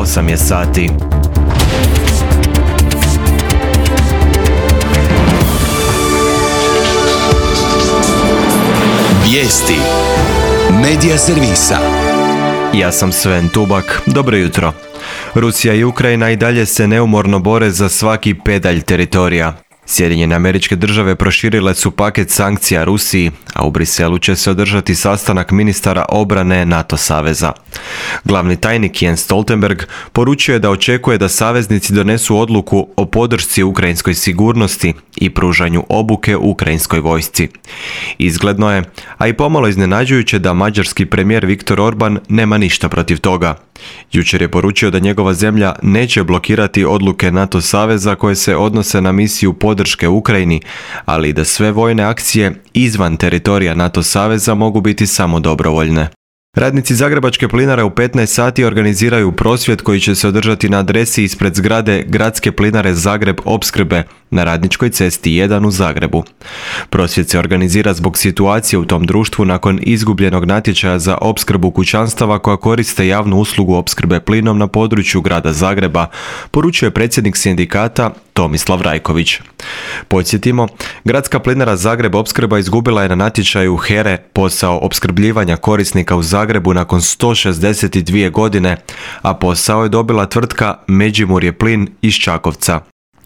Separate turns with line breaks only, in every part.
8 je sati.
Vijesti Medija servisa.
Ja sam Sven Tubak, dobro jutro. Rusija i Ukrajina i dalje se neumorno bore za svaki pedalj teritorija. Sjedinjene Američke Države proširile su paket sankcija Rusiji, a u Briselu će se održati sastanak ministara obrane NATO saveza. Glavni tajnik Jens Stoltenberg poručio je da očekuje da saveznici donesu odluku o podršci ukrajinskoj sigurnosti i pružanju obuke ukrajinskoj vojsci. Izgledno je, a i pomalo iznenađujuće, da mađarski premijer Viktor Orban nema ništa protiv toga. Jučer je poručio da njegova zemlja neće blokirati odluke NATO saveza koje se odnose na misiju podrške Ukrajini, ali i da sve vojne akcije izvan teritorija NATO saveza mogu biti samo dobrovoljne. Radnici Zagrebačke plinare u 15 sati organiziraju prosvjed koji će se održati na adresi ispred zgrade Gradske plinare Zagreb opskrbe na Radničkoj cesti 1 u Zagrebu. Prosvjed se organizira zbog situacije u tom društvu nakon izgubljenog natječaja za opskrbu kućanstava koja koriste javnu uslugu opskrbe plinom na području grada Zagreba, poručuje predsjednik sindikata Tomislav Rajković. Podsjetimo, Gradska plinara Zagreb opskrba izgubila je na natječaju HERE posao opskrbljivanja korisnika u Zagrebu nakon 162 godine, a posao je dobila tvrtka Međimurje plin iz Čakovca.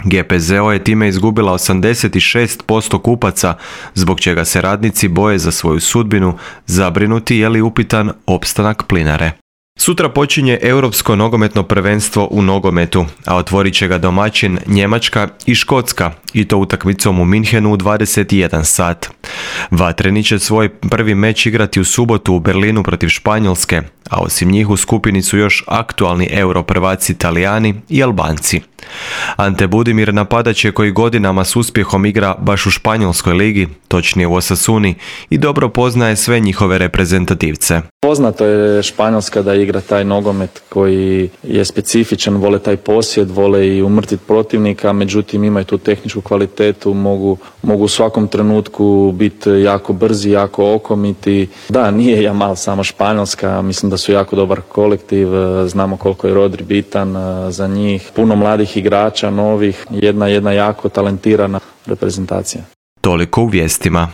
GPZO je time izgubila 86% kupaca, zbog čega se radnici boje za svoju sudbinu, zabrinuti je li upitan opstanak plinare. Sutra počinje Europsko nogometno prvenstvo u nogometu, a otvorit će ga domaćin Njemačka i Škotska, i to utakmicom u Minhenu u 21 sat. Vatreni će svoj prvi meč igrati u subotu u Berlinu protiv Španjolske, a osim njih u skupini su još aktualni europrvaci Talijani i Albanci. Ante Budimir napadač je koji godinama s uspjehom igra baš u španjolskoj ligi, točnije u Osasuni, i dobro poznaje sve njihove reprezentativce.
Poznato je Španjolska da igra taj nogomet koji je specifičan, vole taj posjed, vole i umrtiti protivnika, međutim imaju tu tehničku kvalitetu, mogu u svakom trenutku biti jako brzi, jako okomiti. Da, nije Jamal samo Španjolska, mislim da su jako dobar kolektiv, znamo koliko je Rodri bitan za njih, puno mladih igrača, novih, jedna jako talentirana reprezentacija.
Toliko u vijestima.